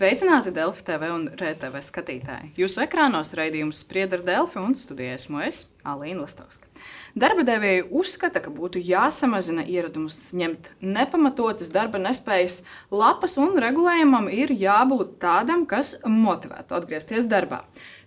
Sveicināti Delfi TV un RTV skatītāji. Jūsu ekrānos raidījums Sprieda ar Delfi un studijā esmu es, Alīna Lastovska. Darba devēji uzskata, ka būtu jāsamazina ieradumus ņemt nepamatotas darba nespējas lapas un regulējumam ir jābūt tādam, kas motivētu atgriezties darbā.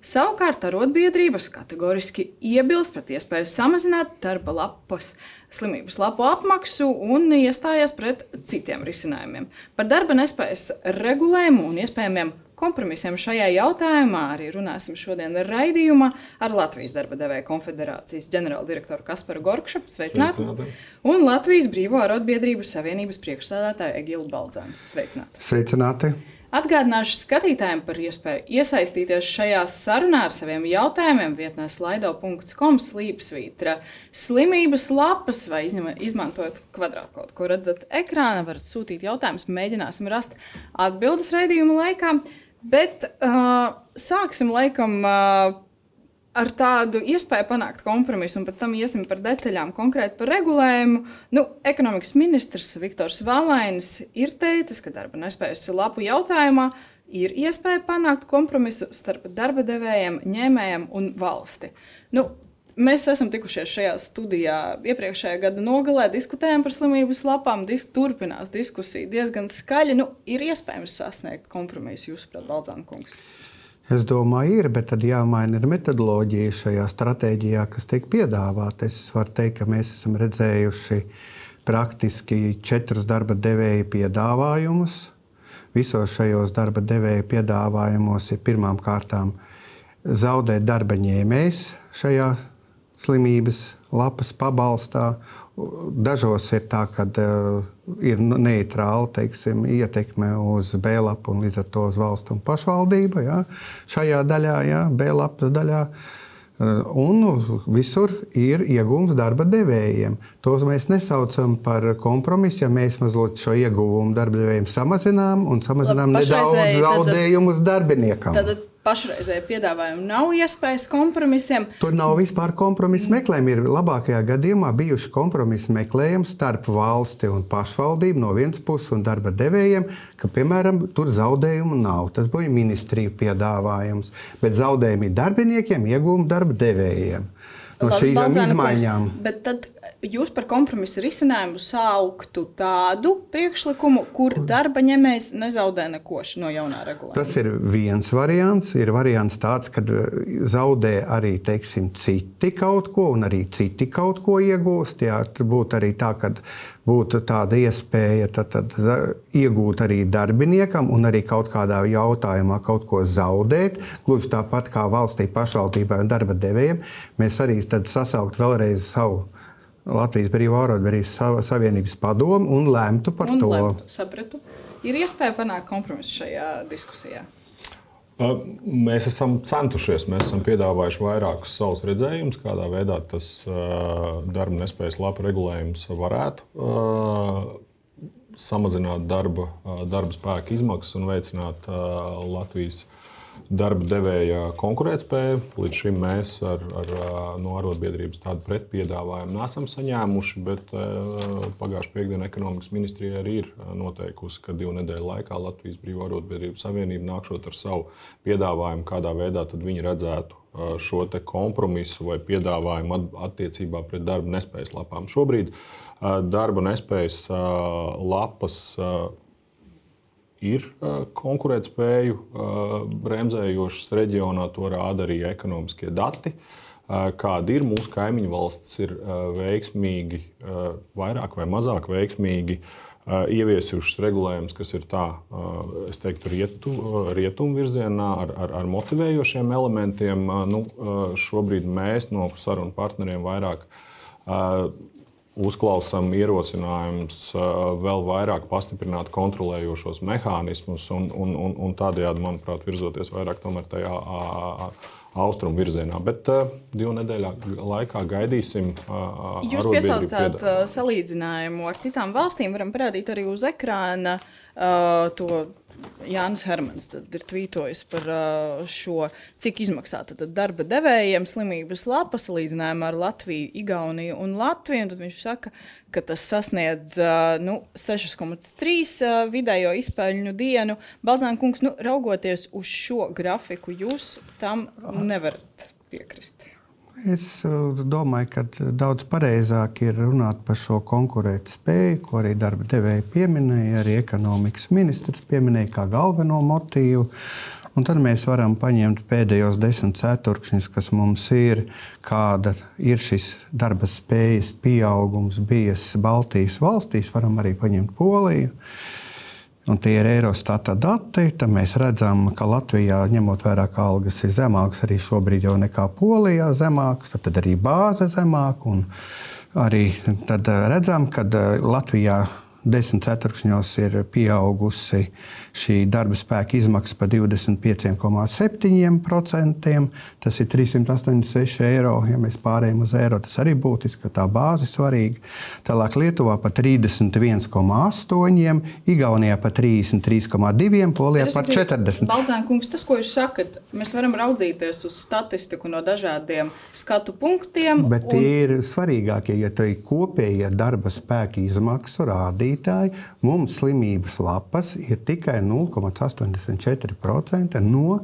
Savukārt arotbiedrības kategoriski iebilst pret iespēju samazināt darba lapas slimības lapu apmaksu un iestājās pret citiem risinājumiem. Par darba nespējas regulējumu un iespējamiem kompromisiem šajā jautājumā arī runāsim šodien raidījumā ar Latvijas darba devēju konfederācijas ģenerāldirektoru Kasparu Gorkšu, sveicināti, un Latvijas Brīvo arotbiedrību savienības priekšsēdētāju Egilu Baldzānu, sveicināti. Sveicināti. Atgādināšu skatītājiem par iespēju iesaistīties šajā sarunā ar saviem jautājumiem vietnē slido.com//. Slimības lapas vai izmantojot kvadrātkodu, ko redzat ekrāna, varat sūtīt jautājumus, mēģināsim rast atbildes raidījuma laikā. Bet sāksim laikam ar tādu iespēju panākt kompromisu, un pēc tam iesim par detaļām konkrēti par regulējumu. Ekonomikas ministrs Viktors Valainis ir teicis, ka darba nespējas lapu jautājumā ir iespēja panākt kompromisu starp darba devējiem, ņēmējiem un valsti. Mēs esam tikušies šajā studijā iepriekšējā gada nogalē, diskutējām par slimības lapām, turpinās diskusija diezgan skaļi. Ir iespējams sasniegt kompromisu, jūsuprāt, Baldzāna kungs? Es domāju, ir, bet tad jāmaina ir metodoloģija šajā stratēģijā, kas tiek piedāvāta. Es varu teikt, ka mēs esam redzējuši praktiski 4 darba devēju piedāvājumus. Visos šajos darba devēju piedāvājumos ir pirmām kārtām zaudēt darba ņēmējs šajā slimības lapas pabalstā. Dažos ir tā, ka ir neitrāla, ietekme uz B-lapu un līdz ar to uz valstu un pašvaldību. Ja, šajā daļā, ja, B-lapas daļā. Un visur ir ieguvums darba devējiem. Tos mēs nesaucam par kompromisu, ja mēs mazliet šo ieguvumu darba devējiem samazinām un samazinām nedaudz zaudējumus darbiniekam. Tad pašreizēji piedāvājumi nav iespējas kompromisiem. Tur nav vispār kompromisu meklējumi. Ir labākajā gadījumā bijuši kompromisu meklējumi starp valsti un pašvaldību no vienas puses un darba devējiem, ka, piemēram, tur zaudējumu nav. Tas bija ministriju piedāvājums. Bet zaudējumi ir darbiniekiem, iegūmi darba devējiem. No šīm izmaiņām. Bet tad jūs par kompromisu risinājumu sauktu tādu priekšlikumu, kur darba ņēmējs nezaudē neko no jaunā regulējuma. Tas ir viens variants. Ir variants tāds, ka zaudē arī, citi kaut ko un arī citi kaut ko iegūst. Jā, būtu arī tā, ka būtu tāda iespēja tad iegūt arī darbiniekam un arī kaut kādā jautājumā kaut ko zaudēt. Gluži tāpat kā valstī, pašvaldībai un darba devējiem. Mēs arī tad sasaukt vēlreiz savu Latvijas Brīvo arotbiedrību savienības padomu un lemtu par to. Sapratu. Ir iespēja panākt kompromisu šajā diskusijā? Mēs esam centušies, mēs esam piedāvājuši vairākus savus redzējumus, kādā veidā tas darba nespējas lapu regulējums varētu samazināt darba spēka izmaksas un veicināt Latvijas darba devēja konkurētspēju. Līdz šim mēs no arotbiedrības tādu pretpiedāvājumu nesam saņēmuši, bet pagājušajā piekdienā ekonomikas ministrija arī ir noteikusi, ka 2 nedēļu laikā Latvijas Brīvo arotbiedrību savienība nākšot ar savu piedāvājumu, kādā veidā tad viņi redzētu šo te kompromisu vai piedāvājumu attiecībā pret darba nespējas lapām. Šobrīd darba nespējas lapas ir konkurētspēju bremzējošas reģionā, to rāda arī ekonomiskie dati. Kādi ir mūsu kaimiņu valstis, ir veiksmīgi, vairāk vai mazāk veiksmīgi ieviesušas regulējumus, kas ir tā, es teiktu, rietumu virzienā ar motivējošiem elementiem. Šobrīd mēs no sarunu partneriem vairāk uzklausām ierosinājumus vēl vairāk pastiprināt kontrolējošos mehānismus un tādējādi, manuprāt, virzoties vairāk tomēr tajā austrumu virzienā. Bet 2 nedēļu laikā gaidīsim. Jūs piesaucāt salīdzinājumu ar citām valstīm. Varam parādīt arī uz ekrāna to Jānis Hermans ir tvītojis par šo, cik izmaksā darba devējiem slimības lapa salīdzinājumā ar Latviju, Igauniju un Latviju. Un tad viņš saka, ka tas sasniedz 6,3 vidējo izpēļņu dienu. Balzāna kungs, raugoties uz šo grafiku, jūs tam nevarat piekrist. Es domāju, ka daudz pareizāk ir runāt par šo konkurētspēju, ko arī darba devēji pieminēja, arī ekonomikas ministrs pieminēja kā galveno motīvu. Un tad mēs varam paņemt pēdējos 10 ceturkšņus, kas mums ir, kāda ir šis darba spējas pieaugums bijis Baltijas valstīs, varam arī paņemt Poliju. Un tie ir Eurostata dati. Tad mēs redzam, ka Latvijā, ņemot vērā, ka algas ir zemākas, arī šobrīd jau nekā Polijā zemākas, tad arī bāze zemāka. Un arī tad redzam, ka Latvijā 10 ceturkšņos ir pieaugusi šī darba spēka izmaksa par 25,7%. Tas ir 386 eiro. Ja mēs pārējām uz eiro, tas arī būtiski, ka tā bāze ir svarīga. Tālāk Lietuvā par 31,8%, Igaunijā par 33,2%, Polijā par 40%. Balzāna kungs, tas, ko jūs sakat, mēs varam raudzīties uz statistiku no dažādiem skatu punktiem. Bet tie ir svarīgākie, ja tie ir kopējie darba spēka izmaksu rādītāji. Mums slimības lapas ir tikai 0,84% no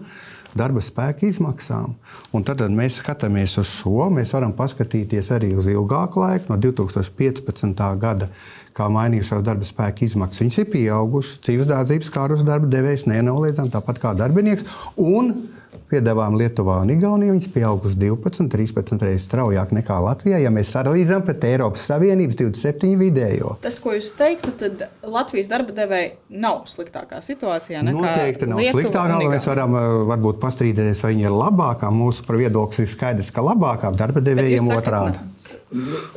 darba spēka izmaksām. Un tad mēs skatāmies uz šo. Mēs varam paskatīties arī uz ilgāku laiku, no 2015. gada, kā mainījušās darba spēka izmaksas. Viņas ir pieaugušas, dzīvesdārdzības kārus darba devējs nenoliedzam, tāpat kā darbinieks. Un piedāvājumi Lietuvā un Igaunijā viņas pieaugušas 12-13 reizes straujāk nekā Latvijā, ja mēs salīdzinām pret Eiropas Savienības 27 vidējo. Tas, ko jūs teiktu, tad Latvijas darba devēji nav sliktākā situācijā nekā Noteikti nav Lietuva sliktākā. Mēs varam varbūt pastrīdēties, vai viņi ir labākā. Mūsu viedoklis ir skaidrs, ka labākā darba devējiem otrādi.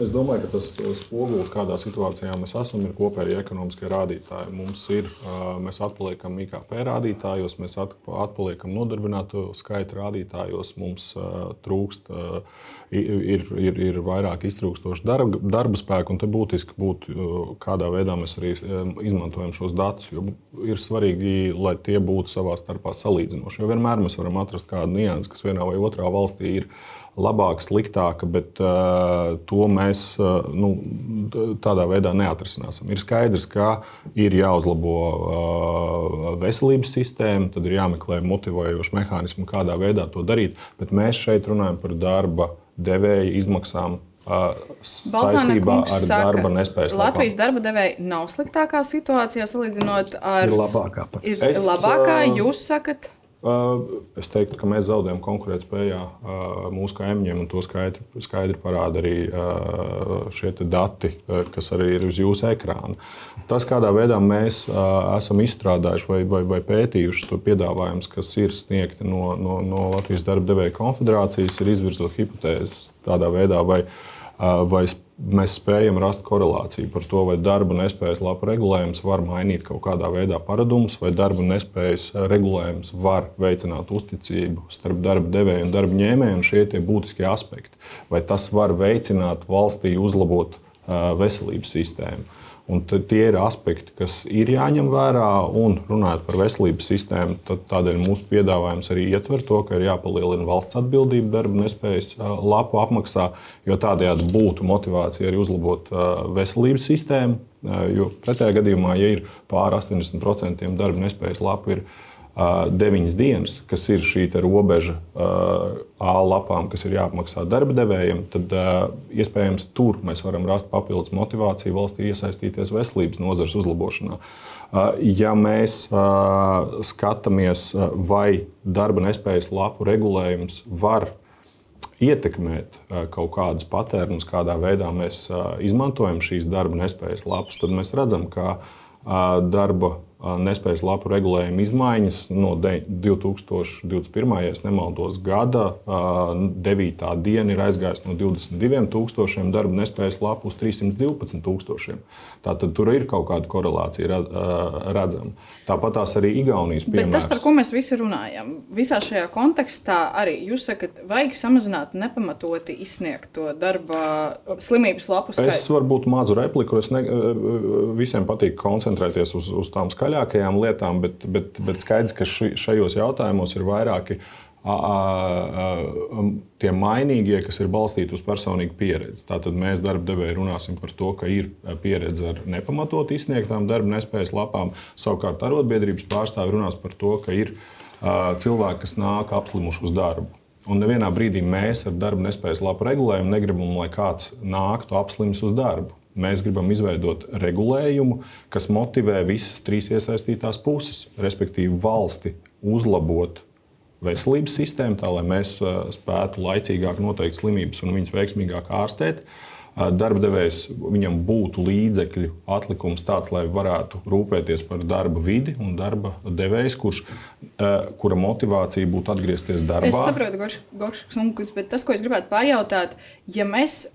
Es domāju, ka tas spogulis, kādā situācijā mēs esam, ir kopēji ekonomiskie rādītāji. Mēs atpaliekam IKP rādītājos, mēs atpaliekam nodarbināto skaita rādītājos, mums trūkst, ir vairāk iztrūkstoši darba spēku, un te būtiski būtu, kādā veidā mēs arī izmantojam šos datus, jo ir svarīgi, lai tie būtu savā starpā salīdzinoši. Jo vienmēr mēs varam atrast kādu niansi, kas vienā vai otrā valstī ir labāka, sliktāka, bet to mēs tādā veidā neatrisināsim. Ir skaidrs, ka ir jāuzlabo veselības sistēma, tad ir jāmeklē motivējoši mehānismi, kādā veidā to darīt, bet mēs šeit runājam par darba devēja izmaksām saistībā ar darba nespējas lapām. Latvijas darba devēji nav sliktākā situācijā salīdzinot ar... Ir labākā pat. Ir labākā, jūs sakat... Es teiktu, ka mēs zaudējam konkurētspējā mūsu kaimiņiem, un to skaidri parāda arī šie dati, kas arī ir uz jūsu ekrāna. Tas, kādā veidā mēs esam izstrādājuši vai pētījuši to piedāvājumus, kas ir sniegti no Latvijas darba devēja konfederācijas, ir izvirzot hipotēzes tādā veidā, vai mēs spējam rast korelāciju par to, vai darba nespējas lapu regulējums var mainīt kaut kādā veidā paradumus, vai darba nespējas regulējums var veicināt uzticību starp darba devēju un darba ņēmēju, un šie tie būtiskie aspekti. Vai tas var veicināt valstī uzlabot veselības sistēmu. Un tie ir aspekti, kas ir jāņem vērā, un runājot par veselības sistēmu, tādēļ mūsu piedāvājums arī ietver to, ka ir jāpalielina valsts atbildība darba nespējas lapu apmaksā, jo tādējādi būtu motivācija arī uzlabot veselības sistēmu, jo pretējā gadījumā, ja ir pār 80% darba nespējas lapu ir 9 dienas, kas ir šī robeža A lapām, kas ir jāapmaksā darba devējiem, tad iespējams tur mēs varam rast papildus motivāciju valstī iesaistīties veselības nozares uzlabošanā. Ja mēs skatāmies, vai darba nespējas lapu regulējums var ietekmēt kaut kādus patērnus, kādā veidā mēs izmantojam šīs darba nespējas lapus, tad mēs redzam, ka darba nespējas lapu regulējuma izmaiņas no 2021. ja nemaldos, gada 9. diena ir aizgājusi no 22,000 darba nespējas lapu uz 312,000. Tātad tur ir kaut kāda korelācija redzama. Tāpat tās arī Igaunijas piemērs. Bet tas, par ko mēs visi runājam, visā šajā kontekstā arī jūs sakat, vajag samazināt nepamatoti izsniegto darba slimības lapu skaitu. Es varbūt mazu repliku. Visiem patīk koncentrēties uz tām skaļām zaļākajām lietām, bet skaidrs, ka šajos jautājumos ir vairāki tie mainīgie, kas ir balstīti uz personīgu pieredzi. Tātad mēs darba devēji runāsim par to, ka ir pieredze ar nepamatot izsniegtām darba nespējas lapām. Savukārt arotbiedrības pārstāvi runās par to, ka ir cilvēki, kas nāk apslimuši uz darbu. Un nevienā brīdī mēs ar darba nespējas lapu regulējumu negribam, lai kāds nāktu apslims uz darbu. Mēs gribam izveidot regulējumu, kas motivē visas trīs iesaistītās puses, respektīvi valsti uzlabot veselības sistēmu, tā lai mēs spētu laicīgāk noteikt slimības un viņas veiksmīgāk ārstēt. Darba devējs, viņam būtu līdzekļu atlikums tāds, lai varētu rūpēties par darba vidi, un darba devējs, kura motivācija būtu atgriezties darbā. Es saprotu, Gorškungs, bet tas, ko es gribētu pajautāt, ja mēs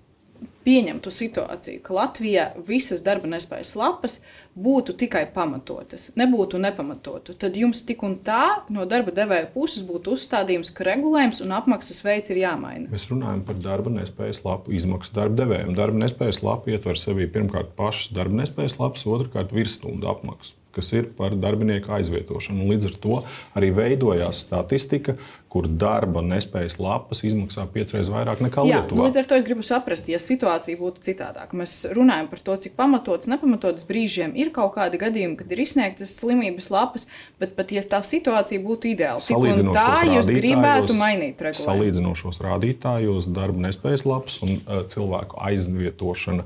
pieņemtu situāciju, ka Latvijā visas darba nespējas lapas būtu tikai pamatotas, nebūtu nepamatotu, tad jums tik un tā no darba devēja puses būtu uzstādījums, ka regulējums un apmaksas veids ir jāmaina. Mēs runājam par darba nespējas lapu izmaksu darba devējiem. Darba nespējas lapa ietver sevī pirmkārt pašas darba nespējas lapas, otrkārt virsstundu apmaksu, kas ir par darbinieku aizvietošanu. Un līdz ar to arī veidojās statistika, kur darba nespējas lapas izmaksā 5 reizes vairāk nekā Lietuvā. Līdz ar to es gribu saprast, ja situācija būtu citādāka. Mēs runājam par to, cik pamatotas, nepamatotas brīžiem ir kaut kādi gadījumi, kad ir izsniegtas slimības lapas, bet pat ja tā situācija būtu ideāla, cik un tā jūs gribētu mainīt regulējumu? Salīdzinošos rādītājos darba nespējas lapas un cilvēku aizvietošana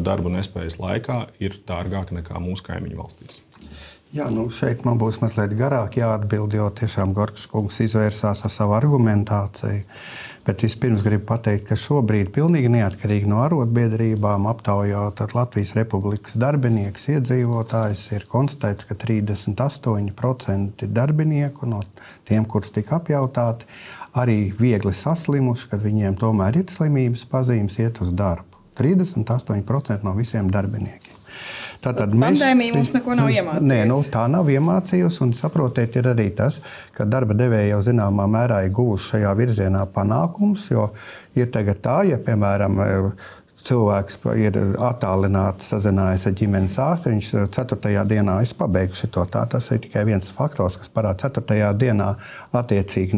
darba nespējas laikā ir dārgāka nekā mūsu kaimiņu valstīs. Jā, šeit man būs mazliet garāk jāatbild, jo tiešām Gorškungs izvērsās ar savu argumentāciju. Bet vispirms gribu pateikt, ka šobrīd pilnīgi neatkarīgi no arotbiedrībām aptaujot Latvijas Republikas darbiniekus, iedzīvotājus, ir konstatēts, ka 38% darbinieku no tiem, kurus tika apjautāti, arī viegli saslimuši, kad viņiem tomēr ir slimības pazīmes, iet uz darbu. 38% no visiem darbiniekiem. Pandēmija mums neko nav iemācījusi. Nē, tā nav iemācījusi, un saprotiet, ir arī tas, ka darba devēji jau zināmā mērā ir guvuši šajā virzienā panākumus, jo ir tagad tā, ja, piemēram, cilvēks ir attālināti sazinājies ar ģimenes ārstu, viņš 4. dienā pabeigšu šito tā. Tas ir tikai viens faktors, kas parāda 4. dienā attiecīgi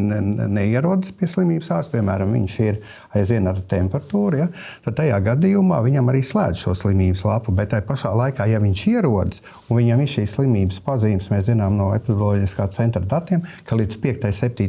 neierodas pie slimības ārsta. Piemēram, viņš ir aizvien ar temperatūru, ja? Tad tajā gadījumā viņam arī slēdz šo slimības lapu, bet tajā pašā laikā, ja viņš ierodas un viņam ir šīs slimības pazīmes, mēs zinām no epidemioloģiskā centra datiem, ka līdz 5. 7.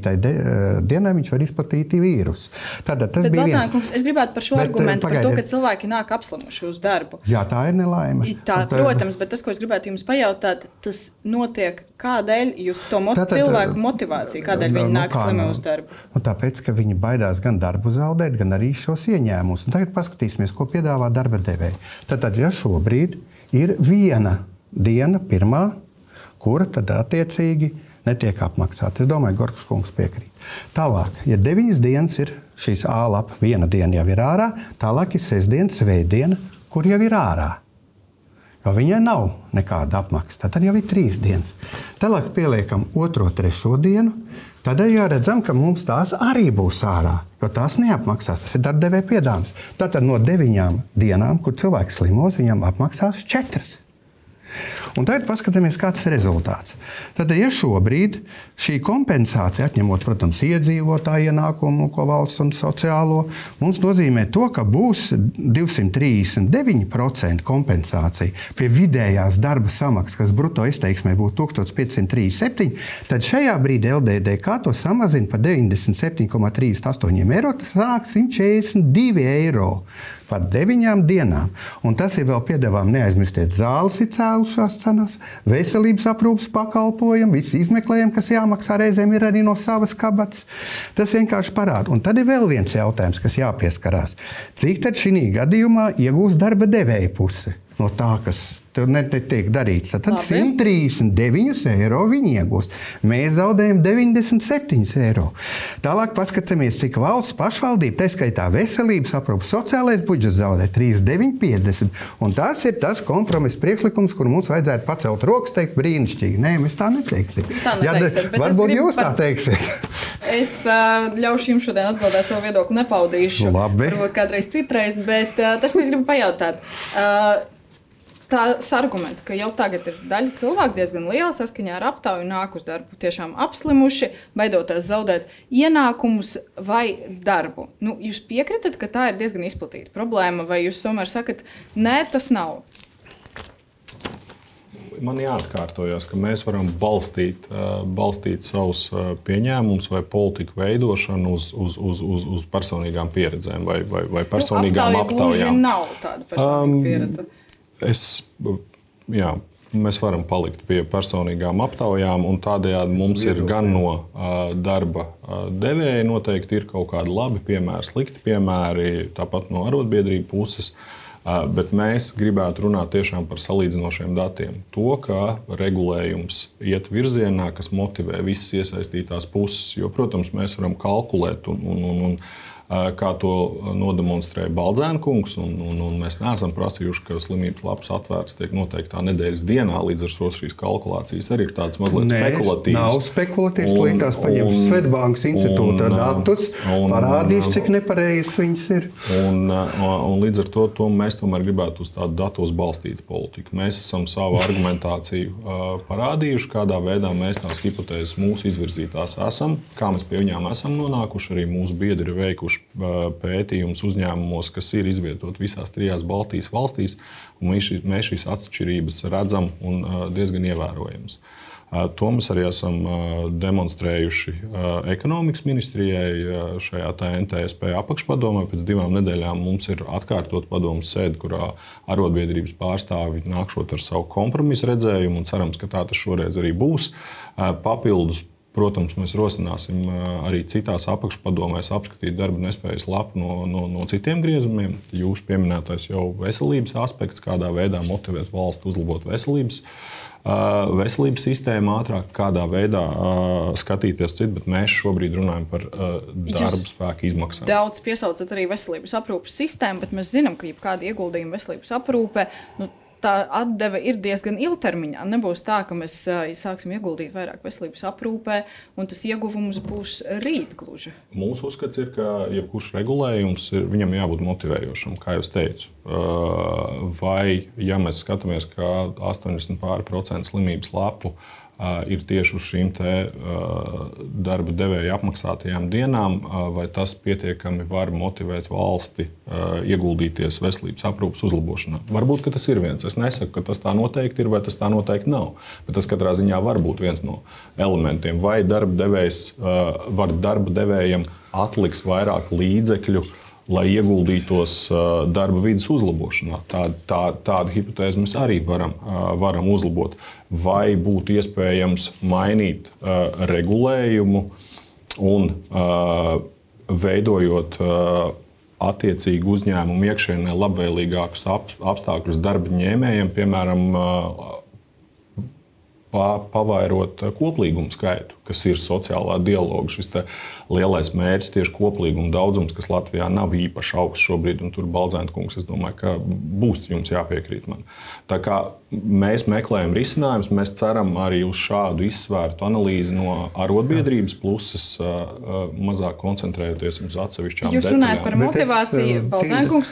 dienai viņš var izplatīt vīrusu. Tātad tas bija viens. Kungs, es gribētu par šo argumentu, par to, ka cilvēki nāk apslimuši uz darbu. Jā, tā ir nelaime. Protams, bet tas, ko es gribētu jums pajautāt, tas notiek kādēļ jūs to cilvēku motivāciju, kādēļ viņi nāk slimi uz darbu? Tāpēc, ka viņi baidās gan darbu zaudēt, gan arī šos ieņēmumus. Un tagad paskatīsimies, ko piedāvā darba devēji. Tātad, ja šobrīd ir viena diena, pirmā, kura tad attiecīgi netiek apmaksāta. Es domāju, Gorškungs piekrīt. Tālāk, ja 9 dienas ir šīs A lapa, viena diena jau ir ārā, tālāk ir sestdiena, svētdiena, kur jau ir ārā. Jo viņai nav nekāda apmaksa. Tad jau ir 3 dienas. Tālāk pieliekam 2., 3. dienu. Tad jau redzam, ka mums tās arī būs ārā, jo tās neapmaksās. Tas ir darbdevēja piedāvājums. Tātad no 9 dienām, kur cilvēks slimos, viņam apmaksās 4. Un tagad paskatāmies, kāds ir rezultāts. Tad, ja šobrīd šī kompensācija, atņemot, protams, iedzīvotāju ienākumu, ko valsts un sociālo, mums nozīmē to, ka būs 239% kompensācija pie vidējās darba samaksas, kas bruto izteiksmē būtu 1537, tad šajā brīdī LDDK to samazina par 97,38 eiro, tas sanāk 142 eiro par 9 dienām. Un tas ir vēl piedāvājums, neaizmirstiet, zāles ir cēlušās cenas, veselības aprūpes pakalpojumi, visi izmeklējumi, kas jāmaksā reizēm, ir arī no savas kabatas. Tas vienkārši parāda. Un tad ir vēl viens jautājums, kas jāpieskarās. Cik tad šī gadījumā iegūs darba devēja puse no tā, kas tur netiek darīts? Tad 139 eiro viņi iegūst. Mēs zaudējam 97 eiro. Tālāk paskatāmies, cik valsts pašvaldība, tā skaitā veselības aprūpes, sociālais budžets zaudē 39,50. Un tas ir tas kompromiss priekšlikums, kur mums vajadzētu pacelt rokas, teikt brīnišķīgi. Nē, mēs tā neteiksim. Varbūt jūs tā teiksiet. Es ļaušu jums šodien atbildēt savu viedokli, nepaudīšu. Labi. Varbūt kādreiz citreiz, bet tas, ko es gribu pajautāt. tās arguments, ka jau tagad ir daļa cilvēku diezgan liela saskaņā ar aptauju nāk uz darbu tiešām apslimuši, baidoties zaudēt ienākumus vai darbu. Nu, jūs piekritat, ka tā ir diezgan izplatīta problēma, vai jūs tomēr sakat, nē, tas nav? Man jāatkārtojas, ka mēs varam balstīt savus pieņēmumus vai politiku veidošanu uz personīgām pieredzēm vai personīgām aptaujām. Nav tāda personīga pieredze. Mēs varam palikt pie personīgām aptaujām, un tādējādi mums ir gan no darba devēja noteikti ir kaut kādi labi piemēri, slikti piemēri, tāpat no arotbiedrību puses. Bet mēs gribētu runāt tiešām par salīdzinošiem datiem. To, ka regulējums iet virzienā, kas motivē visas iesaistītās puses. Jo, protams, mēs varam kalkulēt un kā to nodemonstrēja Baldzēna kungs, un mēs neesam prasījuši, ka slimības lapas atvērts tiek noteiktā nedēļas dienā, līdz ar to šīs kalkulācijas arī ir tādas mazliet spekulatīvas. Nav spekulatīvas, līdz paņemts Svetbankas institūta datus, parādījuši, cik nepareizs viņas ir. Un līdz ar to mēs tomēr gribētu uz tādu datos balstītu politiku. Mēs esam savu argumentāciju parādījuši, kādā veidā mēs tās hipotēzes mūsu izvirzītās esam, kā mēs pie viņām esam nonākuši, arī mūsu biedri ir veikuši pētījums uzņēmumos, kas ir izvietoti visās 3 Baltijas valstīs, un mēs šīs atšķirības redzam un diezgan ievērojamas. To mēs arī esam demonstrējuši ekonomikas ministrijai šajā NTSP apakšpadomē. Pēc 2 nedēļām mums ir atkārtot padomes sēde, kurā arotbiedrības pārstāvi nākšot ar savu kompromisu redzējumu, un cerams, ka tā tas šoreiz arī būs. Papildus, protams, mēs rosināsim arī citās apakšpadomēs apskatīt darba nespējas lapu no citiem griezumiem. Jūs pieminētais jau veselības aspekts, kādā veidā motivēt valsti uzlabot veselības sistēmu ātrāk, kādā veidā skatīties citu, bet mēs šobrīd runājam par darba spēku izmaksām. Daudz piesaucat arī veselības aprūpes sistēmu, bet mēs zinām, ka jebkāda ieguldījuma veselības aprūpē, tā atdeve ir diezgan ilgtermiņā. Nebūs tā, ka mēs sāksim ieguldīt vairāk veselības aprūpē, un tas ieguvums būs rīt gluži. Mūsu uzskats ir, ka jebkurš regulējums viņam jābūt motivējošam, kā jau teicu. Vai, ja mēs skatāmies, ka 80% slimības lapu ir tieši uz šīm darba devēja apmaksātajām dienām, vai tas pietiekami var motivēt valsti ieguldīties veselības aprūpes uzlabošanā. Varbūt, ka tas ir viens. Es nesaku, ka tas tā noteikti ir vai tas tā noteikti nav, bet tas katrā ziņā var būt viens no elementiem. Vai darba devējs var darba devējam atliks vairāk līdzekļu, lai ieguldītos darba vides uzlabošanā. Tādu hipotēzi mēs arī varam uzlabot. Vai būtu iespējams mainīt regulējumu un veidojot attiecīgi uzņēmumu iekšienē labvēlīgākus apstākļus darba ņēmējiem, piemēram, pavairot koplīgumu skaitu, kas ir sociālā dialoga. Šis lielais mērķis, tieši koplīguma daudzums, kas Latvijā nav īpaši augsts šobrīd, un tur Baldzēna kungs, es domāju, ka būs jums jāpiekrīt man. Tā kā mēs meklējam risinājumus, mēs ceram arī uz šādu izsvērtu analīzi no arotbiedrības puses, mazāk koncentrējoties uz atsevišķām detaļām. Jūs runājat par motivāciju, Baldzēna kungs,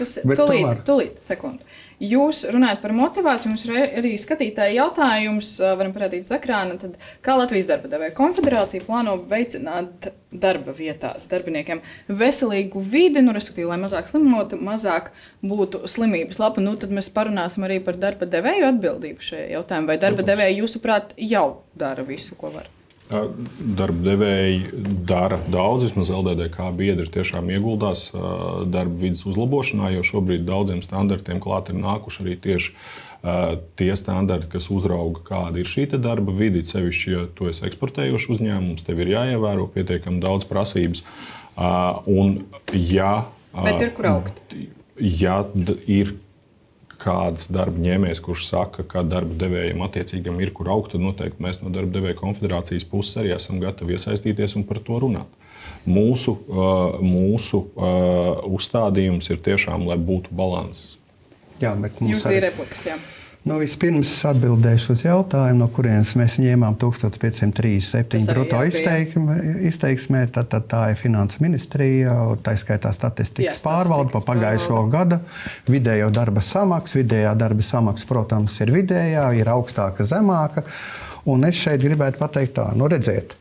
tūlīt sekundi. Jūs runājat par motivāciju, mums arī skatītāji jautājums, varam parādīt uz ekrāna, tad kā Latvijas darba devēja konfederācija plāno veicināt darba vietās darbiniekiem veselīgu vidi, respektīvi, lai mazāk slimotu, mazāk būtu slimības lapa. Tad mēs parunāsim arī par darba devēju atbildību šajā jautājumā. Vai darba devēji, jūsuprāt, jau dara visu, ko var? Darba devēji dara daudz, vismaz LDDK biedri tiešām ieguldās darba vidas uzlabošanā, jo šobrīd daudziem standartiem klāt ir nākuši arī tieši tie standarti, kas uzrauga, kāda ir šī darba vide, sevišķi, ja tu esi eksportējošs uzņēmums, tev ir jāievēro pietiekami daudz prasības. Bet ir kur augt? Ja ir kāds darba ņēmējs, kurš saka, ka darba devējiem attiecīgam ir kur augt, tad noteikti mēs no darba devēja konfederācijas puses arī esam gatavi iesaistīties un par to runāt. Mūsu uzstādījums ir tiešām, lai būtu balanss. Jā, bet mums arī replikas, jā. Vispirms atbildēšu uz jautājumu, no kurienes mēs ņēmām 1537 bruto izteiksmē. Tā ir Finansu ministrija, tā skaitā statistikas pārvalde pa pagājušo gadu. Vidējā darba samaksa, protams, ir vidējā, ir augstāka, zemāka. Un es šeit gribētu pateikt tā, redziet,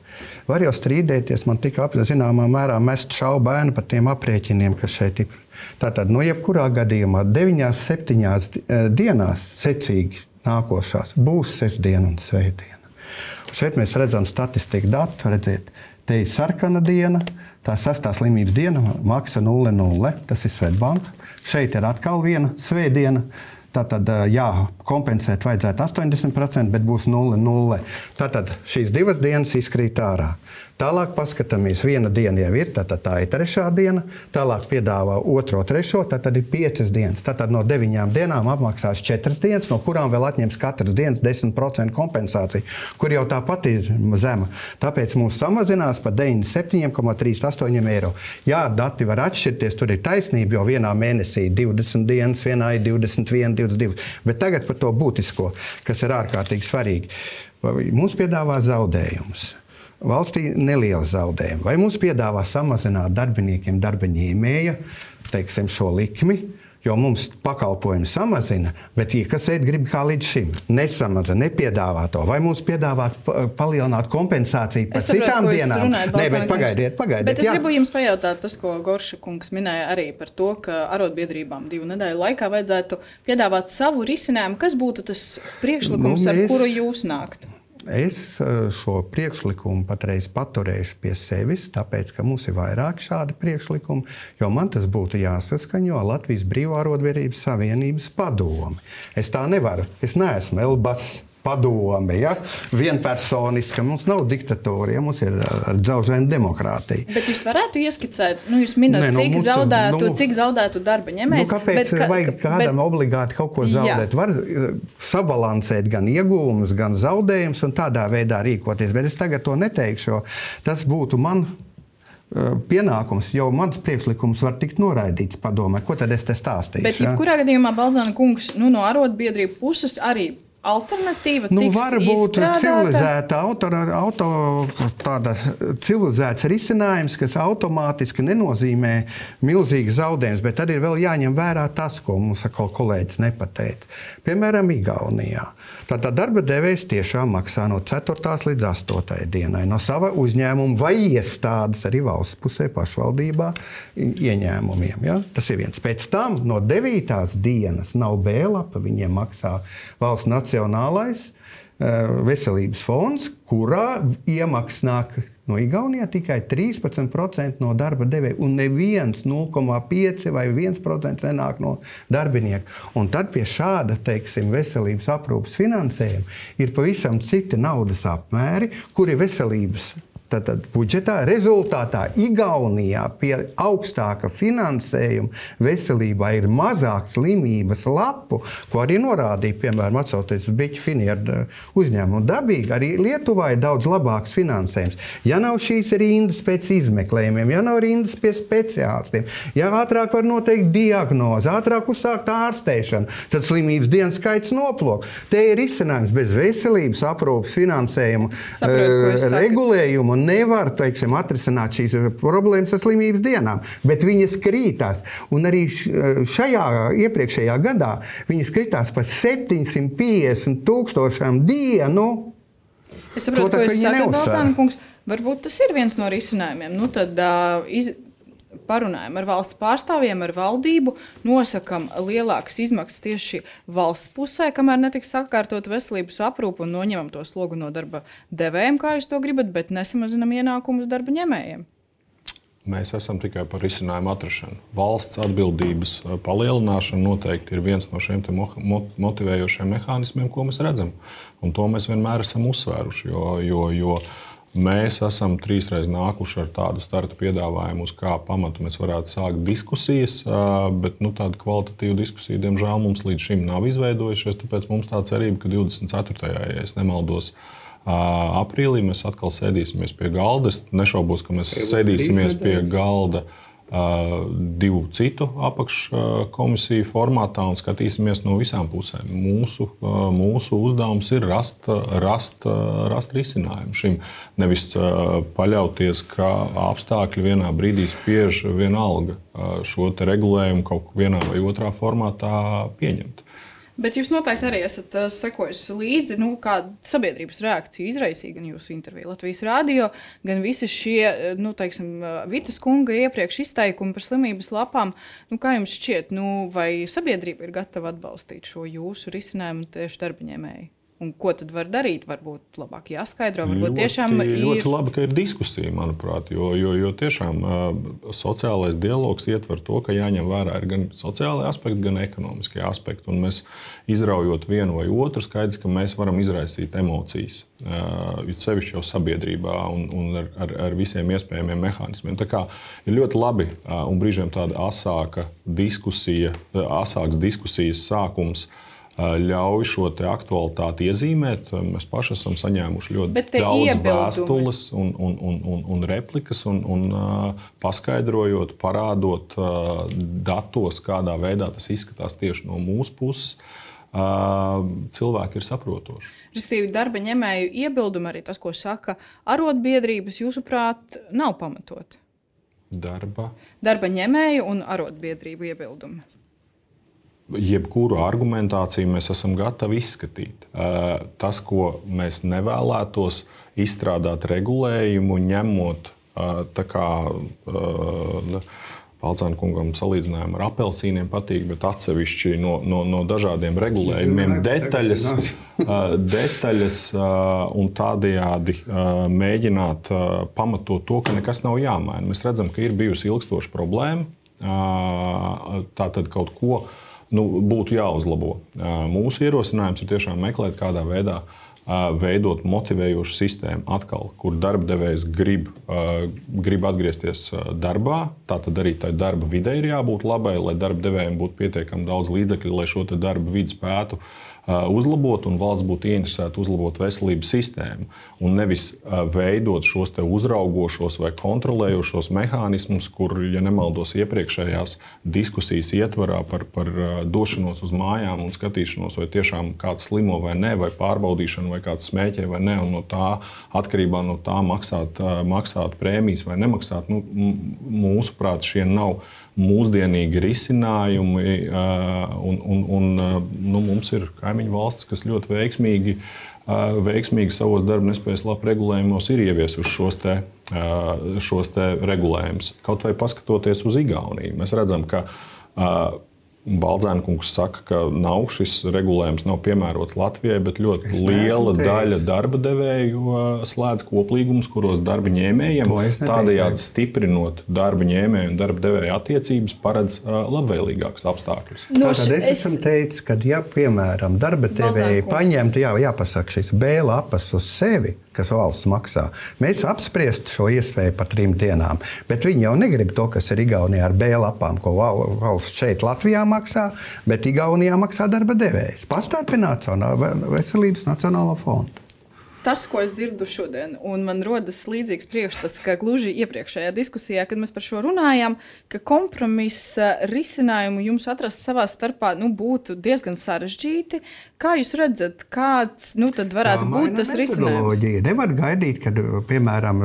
var jau strīdēties, man tika zināmā mērā mest šaubu bērnu par tiem aprēķiniem, kas šeit ir. Tātad, jebkurā gadījumā 9-7 dienās secīgi nākošās būs sestdiena un svētdiena. Šeit mēs redzam statistiku datu, redziet, te ir sarkana diena, tā 6. slimības diena, maksa 0,0, tas ir Svetbanka. Šeit ir atkal viena svētdiena. Tātad, kompensēt vajadzētu 80%, bet būs 0,0. Tātad šīs 2 dienas izkrīt ārā. Tālāk paskatāmies, viena diena jau ir, tā ir 3. diena. Tālāk piedāvā 2., 3., tad ir 5 dienas. Tātad no 9 dienām apmaksās 4 dienas, no kurām vēl atņems katras dienas 10% kompensāciju, kur jau tāpat ir zema. Tāpēc mums samazinās par 97,38 eiro. Jā, dati var atšķirties, tur ir taisnība, jo vienā mēnesī 20 dienas, vienā ir 21, 22. Bet tagad par to būtisko, kas ir ārkārtīgi svarīgi. Mums piedāvā zaudējumus. Valstī neliela zaudējuma. Vai mums piedāvā samazināt darbiniekiem darba ņēmēja, teiksim, šo likmi, jo mums pakalpojumi samazina, bet iekasēt grib kā līdz šim. Nesamazina, nepiedāvā to. Vai mums piedāvā palielināt kompensāciju par citām dienām? Nē, bet pagaidiet. Bet es gribu jums pajautāt tas, ko Gorša kungs minēja arī par to, ka arotbiedrībām 2 nedēļu laikā vajadzētu piedāvāt savu risinājumu. Kas būtu tas priekšlikums, ar kuru jūs nāktu? Es šo priekšlikumu patreiz paturēšu pie sevis, tāpēc, ka mums ir vairāk šādi priekšlikumi, jo man tas būtu jāsaskaņo Latvijas Brīvo arotbiedrības savienības padomi. Es tā nevaru. Es neesmu Elbas padome, ja? Vienpersoniska. Mums nav diktatūra, ja? Mums ir dzelžaina demokrātija. Bet jūs varētu ieskicēt, jūs minat, cik zaudētu darba ņēmējs. Kāpēc vajag kādam obligāti kaut ko zaudēt? Var sabalansēt gan iegūmus, gan zaudējumus un tādā veidā rīkoties. Bet es tagad to neteikšu, tas būtu man pienākums, jo mans priekšlikums var tikt noraidīts padomē. Ko tad es te stāstīšu? Bet jebkurā gadījumā, Balzāna kungs, no arotbiedrību puses arī alternatīva tiks izstrādāta? Tāda civilizēts risinājums, kas automātiski nenozīmē milzīgas zaudējumus, bet tad ir vēl jāņem vērā tas, ko mums atkal kolēģis nepateica. Piemēram, Igaunijā. Tātad darba devējs tiešām maksā no 4. līdz 8. dienai no sava uzņēmuma vai iestādes arī valsts pusē pašvaldībā ieņēmumiem. Ja? Tas ir viens. Pēc tam no 9. dienas nav B-lapa, viņiem maksā valsts nacionālais veselības fonds, kurā iemaksas nāk no Igaunijā tikai 13% no darba devēja, un neviens 0,5 vai 1% nenāk no darbinieka. Un tad pie šāda, teiksim, veselības aprūpes finansējuma ir pavisam citi naudas apmēri, kuri veselības budžetā rezultātā Igaunijā pie augstāka finansējuma veselībā ir mazāk slimības lapu, ko arī norādīja, piemēram, atcauties uz Biķu Finieru uzņēmumu. Dabīgi arī Lietuvā ir daudz labāks finansējums. Ja nav šīs rindas pēc izmeklējumiem, ja nav rindas pie speciālistiem, ja ātrāk var noteikt diagnozi, ātrāk uzsākt ārstēšanu, tad slimības dienas skaits noplok. Te ir izcinājums bez veselības aprūpes finansējuma regulējuma. Nevar, teiksim, atrisināt šīs problēmas ar slimības dienām, bet viņas krītās. Un arī iepriekšējā gadā viņas krītās par 750 000 dienu. Es saprotu, ko jūs sakat, Balcāna kungs. Varbūt tas ir viens no risinājumiem. Tad parunājam ar valsts pārstāvjiem, ar valdību, nosakam lielākas izmaksas tieši valsts pusē, kamēr netiks sakārtot veselības aprūpu un noņemam to slogu no darba devējiem, kā jūs to gribat, bet nesamazinam ienākumus darba ņēmējiem. Mēs esam tikai par risinājumu atrašanu. Valsts atbildības palielināšana noteikti ir viens no šiem motivējošiem mehānismiem, ko mēs redzam. Un to mēs vienmēr esam uzsvēruši, jo mēs esam 3 reizes nākuši ar tādu starta piedāvājumu, uz kā pamatu mēs varētu sākt diskusijas, bet tāda kvalitatīva diskusija, diemžēl, mums līdz šim nav izveidojušies. Tāpēc mums tā cerība, ka 24. ja es nemaldos, aprīlī mēs atkal sēdīsimies pie galda. Es nešaubos, ka mēs sēdīsimies pie galda 2 citu apakškomisiju formātā un skatīsimies no visām pusēm. Mūsu uzdevums ir rast risinājumu šim. Nevis paļauties, ka apstākļi vienā brīdī spiež vienalga šo te regulējumu kaut vienā vai otrā formātā pieņemt. Bet jūs noteikti arī esat sekojusi līdzi, kāda sabiedrības reakcija izraisīja gan jūsu interviju Latvijas Rādio, gan visi šie, Vitas kunga iepriekš izteikumi par slimības lapām. Kā jums šķiet, vai sabiedrība ir gatava atbalstīt šo jūsu risinājumu tieši darbaņēmēji? Un ko tad var darīt? Varbūt labāk jāskaidro, varbūt tiešām ir... Ļoti labi, ka ir diskusija, manuprāt, jo tiešām sociālais dialogs ietver to, ka jāņem vērā ir gan sociālai aspekti, gan ekonomiskie aspekti. Un mēs izraujot vienu vai otru, skaidrs, ka mēs varam izraisīt emocijas, sevišķi jau sabiedrībā un ar visiem iespējamiem mehānismiem. Tā kā ir ļoti labi un brīžiem tāda asāks diskusijas sākums ļauj šo te aktualitāti iezīmēt. Mēs paši esam saņēmuši ļoti daudz vēstules un replikas un paskaidrojot, parādot datos, kādā veidā tas izskatās tieši no mūsu puses. Cilvēki ir saprotoši. Respektīvi, darba ņēmēju iebildumi arī tas, ko saka arotbiedrības, jūsuprāt, nav pamatot? Darba ņēmēju un arotbiedrību iebildumi. Jebkuru argumentāciju mēs esam gatavi izskatīt. Tas, ko mēs nevēlētos izstrādāt regulējumu, ņemot tā kā Balcāna kungam salīdzinājumu ar apelsīniem patīk, bet atsevišķi no dažādiem regulējumiem detaļas un tādējādi mēģināt pamatot to, ka nekas nav jāmaina. Mēs redzam, ka ir bijusi ilgstoša problēma. Tātad kaut ko būtu jāuzlabo. Mūsu ierosinājums ir tiešām meklēt, kādā veidā veidot motivējošu sistēmu atkal, kur darbdevējs grib atgriezties darbā. Tātad arī tai darba videi ir jābūt labai, lai darbdevējiem būtu pietiekami daudz līdzekļu, lai šo te darba vidi spētu uzlabot, un valsts būtu ieinteresēta uzlabot veselības sistēmu. Un nevis veidot šos te uzraugošos vai kontrolējošos mehānismus, kur, ja nemaldos, iepriekšējās diskusijas ietvarā par došanos uz mājām un skatīšanos, vai tiešām kāds slimo vai ne, vai pārbaudīšanu, vai kāds smēķē vai ne, un no tā atkarībā no tā maksāt prēmijas vai nemaksāt. Mūsuprāt, šie nav mūsdienīgi risinājumi, un mums ir kaimiņu valstis, kas ļoti veiksmīgi savos darba nespējas lapu regulējumos ir ieviesuši šos te regulējumus. Kaut vai paskatoties uz Igauniju, mēs redzam, ka Balcāna kungs saka, ka šis regulējums nav piemērots Latvijai, bet ļoti liela daļa darba devēju slēdz koplīgumus, kuros darba ņēmējiem, tādējādi stiprinot darba ņēmēju un darba devēju attiecības, paredz labvēlīgākus apstākļus. Tātad es esmu teicis, ka, ja, piemēram, darba devēji paņemtu, jāpasaka šīs B lapas uz sevi, kas valsts maksā, mēs apspriestu šo iespēju par 3 dienām. Bet viņi jau negrib to, kas ir Igaunijā ar B lapām, ko valsts šeit Latvijā maksā, bet Igaunijā maksā darba devējs. Pastāpināt veselības nacionālo fondu. Tas, ko es dzirdu šodien, un man rodas līdzīgs priekšstats, ka gluži iepriekšējā diskusijā, kad mēs par šo runājām, ka kompromisa risinājumu jums atrast savā starpā būtu diezgan sarežģīti. Kā jūs redzat, kāds tad varētu būt tas risinājums? Nevar gaidīt, kad, piemēram,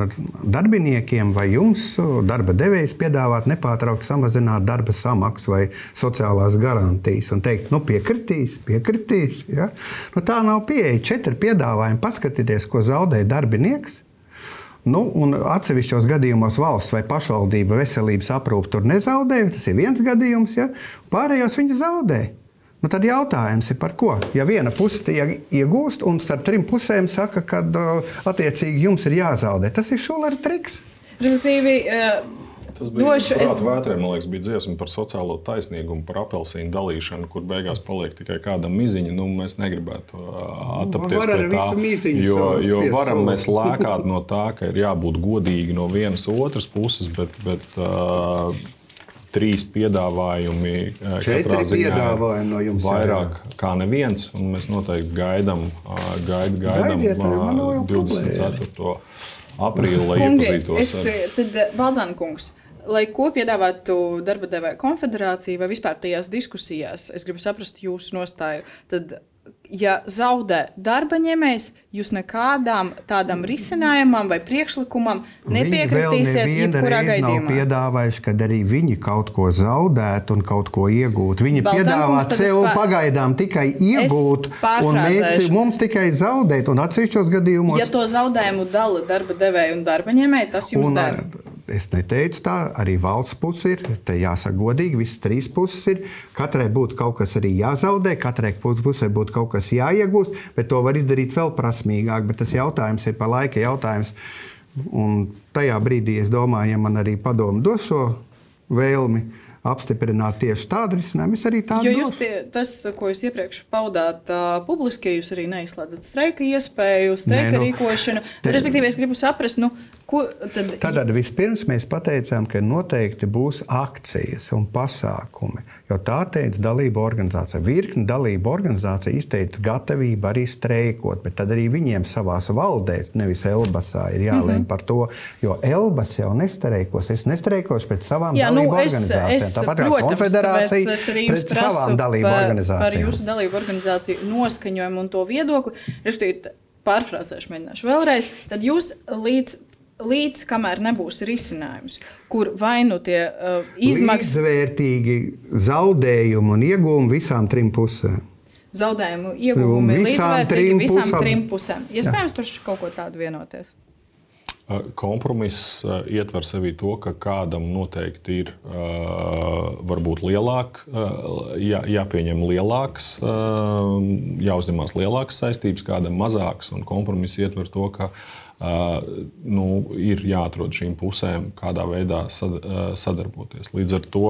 darbiniekiem vai jums darba devējs piedāvāt nepārtraukti samazināt darba samaksu vai sociālās garantijas un teikt, piekritīs. Ja? Tā nav pieeja. 4 piedāvājumi, paskatieties, ko zaudē darbinieks. Un atsevišķos gadījumos valsts vai pašvaldība veselības aprūpe tur nezaudē, tas ir viens gadījums, ja? Pārējos viņi zaudē. Tad jautājums ir par ko? Ja viena puse iegūst un starp 3 pusēm saka, ka attiecīgi jums ir jāzaudē, tas ir Šulera triks. Tas bija prāta vētrē, man liekas, bija dziesma par sociālo taisnīgumu, par apelsīnu dalīšanu, kur beigās paliek tikai kāda miziņa. Mēs negribētu attapties pie tā, jo varam mēs lēkāt no tā, ka ir jābūt godīgi no vienas otras puses, bet 3 piedāvājumi katrā ziņā no jums vairāk kā neviens, un mēs noteikti gaidām 24. aprīli, lai iepazītos. Tad, Balcāna kungs, Lai ko piedāvātu darba devēja konfederācija vai vispār tajās diskusijās, es gribu saprast jūsu nostāju, tad, ja zaudē darba ņēmējs, jūs nekādām tādam risinājumam vai priekšlikumam nepiekritīsiet jebkurā gadījumā. Viņi nav piedāvājuši, kad arī viņi kaut ko zaudētu un kaut ko iegūtu. Viņi piedāvā sev pagaidām tikai iegūt, un mums tikai zaudēt, un atsevišķos gadījumos... Ja to zaudējumu dala darba devēja un darba ņēmēji, tas jums dara. Es neteicu tā, arī valsts puse ir, te jāsaka godīgi, visas trīs puses ir. Katrai būtu kaut kas arī jāzaudē, katrai pusē būtu kaut kas jāiegūst, bet to var izdarīt vēl prasmīgāk, bet tas jautājums ir par laika jautājums. Un tajā brīdī, es domāju, ja man arī padomu dos šo vēlmi apstiprināt tieši tādu risinājumu, es arī tādu došu. Tas, ko jūs iepriekš paudāt publiski, jūs arī neizslēdzat streika iespēju, streika rīkošanu. Respektīvi, es gribu saprast, ko tad... Tad vispirms mēs pateicām, ka noteikti būs akcijas un pasākumi, jo tā teica dalību organizācija. Virkni dalību organizācija izteica gatavību arī streikot, bet tad arī viņiem savās valdēs, nevis Elbasā, ir jālēm par to, jo Elbas jau nestreikos. Es nestreikošu pret savām dalību organizācijām. Tāpat kā konfederācija pret savām dalību organizācijām. Par jūsu dalību organizāciju noskaņojumu un to viedokli, respektīvi, pārfrāzēšu mēģināšu vēlreiz, tad jūs līdz kamēr nebūs risinājums, kur vai nu tie izmaksas... Līdzvērtīgi zaudējumi un ieguvumi visām trim pusēm. Zaudējumu ieguvumi līdzvērtīgi visām trim pusēm. Iespējams par kaut ko tādu vienoties? Kompromiss ietver sevī to, ka kādam noteikti ir varbūt jāpieņem lielāks, jāuzņemās lielākas saistības, kādam mazāks, un kompromiss ietver to, ka ir jāatrod šīm pusēm kādā veidā sadarboties. Līdz ar to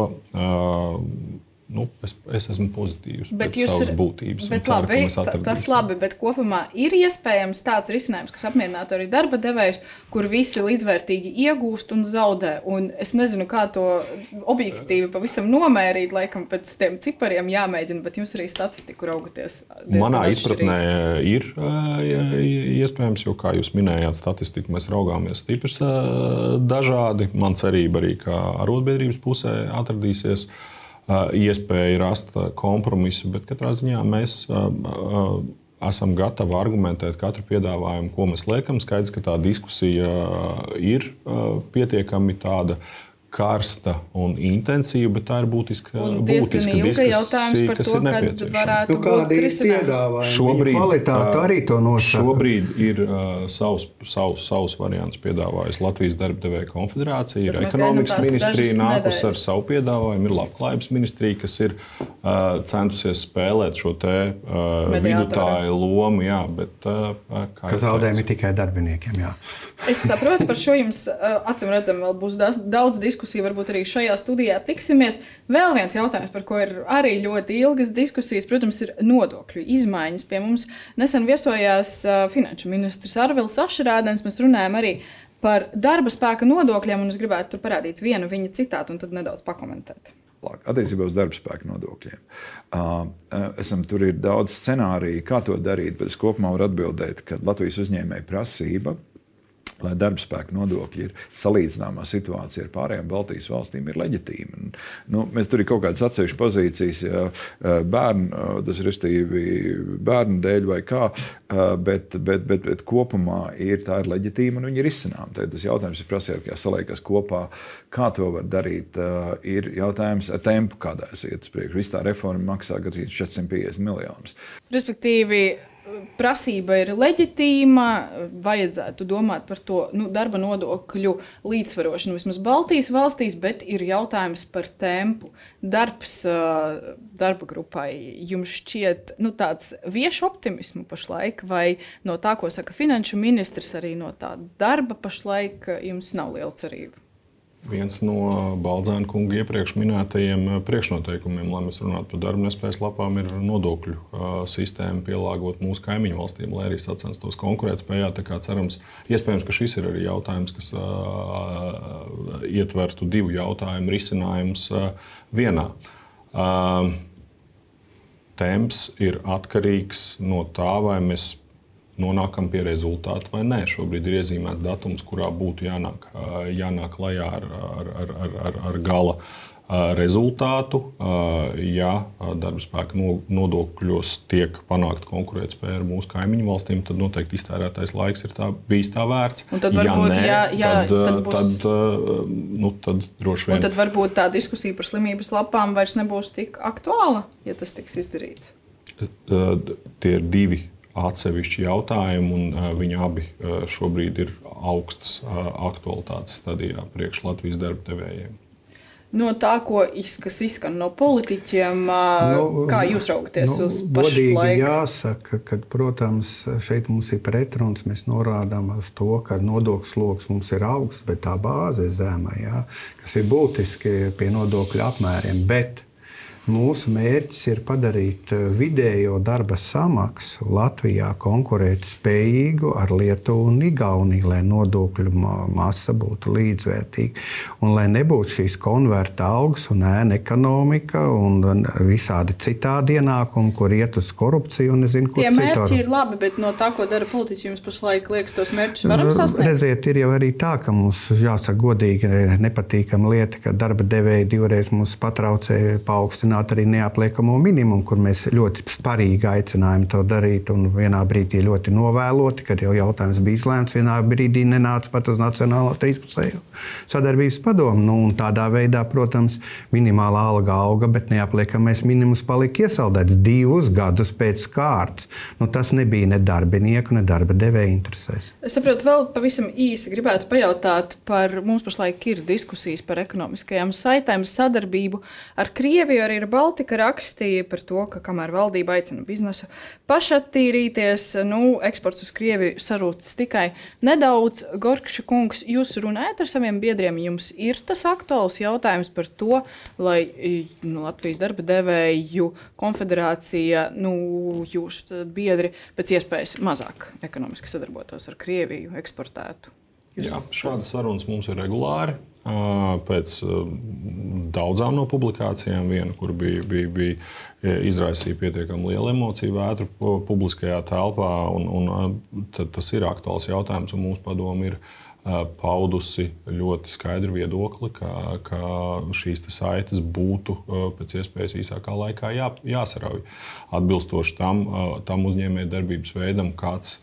es esmu pozitīvs pēc savas būtības. Bet labi, tas labi, bet kopumā ir iespējams tāds risinājums, kas apmierinātu arī darba devējus, kur visi līdzvērtīgi iegūst un zaudē. Un es nezinu, kā to objektīvi pavisam nomērīt, laikam pēc tiem cipariem jāmēģina, bet jums arī statistiku raugaties. Manā izpratnē ir iespējams, jo, kā jūs minējāt, statistiku mēs raugāmies stiprs dažādi. Man cerība arī, ka arotbiedrības pusē atradīsies iespēja rast kompromisu, bet katrā ziņā mēs esam gatavi argumentēt katru piedāvājumu, ko mēs liekam. Skaidrs, ka tā diskusija ir pietiekami tāda karsta un intensīva, bet tā ir būtiska diskusija, jautājums par to, kad varētu būt risinājums. Šobrīd ir savs variants piedāvājis Latvijas darba devēja konfederācija, ir ekonomikas ministrija nākus ar savu piedāvājumu, ir labklājības ministrija, kas ir centusies spēlēt šo te vidutāju lomu, jā, bet ka zaudējumi tikai darbiniekiem, jā. Es saprotu, par šo jums acīm redzam vēl būs daudz diskusiju, varbūt arī šajā studijā tiksimies. Vēl viens jautājums, par ko ir arī ļoti ilgas diskusijas, protams, ir nodokļu izmaiņas. Pie mums nesen viesojās finanšu ministrs Arvils Ašerādens. Mēs runājam arī par darba spēka nodokļiem, un es gribētu tur parādīt vienu viņa citātu un tad nedaudz pakomentēt. Attiecībā uz darba spēka nodokļiem. Tur ir daudz scenāriju, kā to darīt, bet es kopumā varu atbildēt, ka Latvijas uzņēmēja prasība, lai darba spēka nodokļi ir salīdzināmā situācija ar pārējām Baltijas valstīm, ir leģitīma. Mēs tur ir kaut kādas atsevišķas pozīcijas, bērnu dēļ vai kā, bet kopumā tā ir leģitīma un viņi ir izcinām. Tas jautājums ir prasījāt, kā saliekas kopā, kā to var darīt, ir jautājums ar tempu, kādā es iet uz priekšu. Viss tā reforma maksā gandrīz 450 miljonus. Respektīvi, prasība ir leģitīma, vajadzētu domāt par to darba nodokļu līdzsvarošanu vismaz Baltijas valstīs, bet ir jautājums par tempu. Darbs darba grupai jums šķiet tāds vieš optimismu pašlaik, vai no tā, ko saka finanšu ministrs, arī no tā darba pašlaik jums nav liela cerība? Viens no Baldzēna kunga iepriekš minētajiem priekšnoteikumiem, lai mēs runātu par darba nespējas lapām, ir nodokļu sistēmu pielāgot mūsu kaimiņu valstīm, lai arī sacenstos konkurētspējā. Tā kā cerams, iespējams, ka šis ir arī jautājums, kas ietvertu divu jautājumu risinājumus vienā. Temps ir atkarīgs no tā, vai mēs nonākam pie rezultātu vai nē. Šobrīd ir iezīmēts datums, kurā būtu jānāk klajā ar gala rezultātu. Ja darba spēka nodokļos tiek panākta konkurētspēja ar mūsu kaimiņu valstīm, tad noteikti iztērētais laiks ir bijis tā vērts. Un tad varbūt, tad droši vien. Un tad varbūt tā diskusija par slimības lapām vairs nebūs tik aktuāla, ja tas tiks izdarīts. Tie ir divi atsevišķi jautājumi, un viņi abi šobrīd ir augstas aktualitātes stadijā priekš Latvijas darba devējiem. No tā, kas izskan no politiķiem, kā jūs raugaties uz pašu laiku? Jāsaka, ka, protams, šeit mums ir pretruns. Mēs norādām uz to, ka nodokļu sloks mums ir augsts, bet tā bāze ir zema, kas ir būtiski pie nodokļu apmēriem. Bet mūsu mērķis ir padarīt vidējo darba samaksu Latvijā konkurēt spējīgu ar Lietuvu un Igauniju, lai nodokļu masa būtu līdzvērtīga. Un lai nebūtu šīs konverta algas un ēna ekonomika un visādi citādi ienākumi, kur iet uz korupciju un nezinu, kur citādi. Tie mērķi ir labi, bet no tā, ko dara politiķi, jums pašlaik liekas, tos mērķus varam sasniegt? Redziet, ir jau arī tā, ka mums, jāsaka godīgi, nepatīkama lieta, ka darba devēji divreiz mums patraucēja paaugstināt arī neapliekamo minimumu, kur mēs ļoti sparīgi aicinājām to darīt. Un vienā brīdī ļoti novēloti, kad jau jautājums bija izlēmts, vienā brīdī nenāca pat uz Nacionālo 13. sadarbības padomu. Un tādā veidā, protams, minimālā alga auga, bet neapliekamais minimums palika iesaldēts 2 gadus pēc kārtas. Tas nebija ne darbinieku, ne darba devēja interesēs. Es saprotu, vēl pavisam īsi gribētu pajautāt par, mums pašlaik ir diskusijas par ekonomiskajām saitēm, sadarbību ar Krieviju, arī ar Baltika rakstīja par to, ka kamēr valdība aicina biznesu pašattīrīties, eksports uz Krieviju sarūcis tikai nedaudz. Gorkša kungs, jūs runājat ar saviem biedriem, jums ir tas aktuāls jautājums par to, lai Latvijas darba devēju konfederācija, jūsu biedri pēc iespējas mazāk ekonomiski sadarbotos ar Krieviju, eksportētu? Šādas sarunas mums ir regulāri. Pēc daudzām no publikācijām, viena, kur bija izraisīja pietiekami lielu emociju vētru publiskajā telpā, un tas ir aktuāls jautājums, un mūsu padomu ir paudusi ļoti skaidru viedokli, ka šīs saites būtu pēc iespējas īsākā laikā jāsarauj, atbilstoši tam uzņēmējdarbības veidam, kāds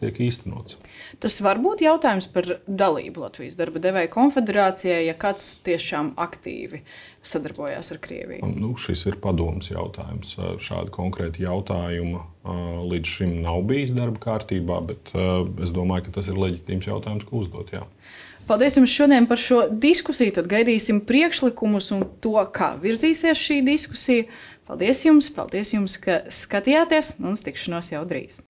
tiek īstenots. Tas var būt jautājums par dalību Latvijas darba devēju konfederācijai, ja kāds tiešām aktīvi sadarbojās ar Krieviju? Šis ir padomes jautājums. Šādi konkrēti jautājumi līdz šim nav bijis darba kārtībā, bet es domāju, ka tas ir leģitīms jautājums, ko uzdot. Jā. Paldies jums šodien par šo diskusiju. Tad gaidīsim priekšlikumus un to, kā virzīsies šī diskusija. Paldies jums, ka skatījāties, un uz tikšanos jau drīz.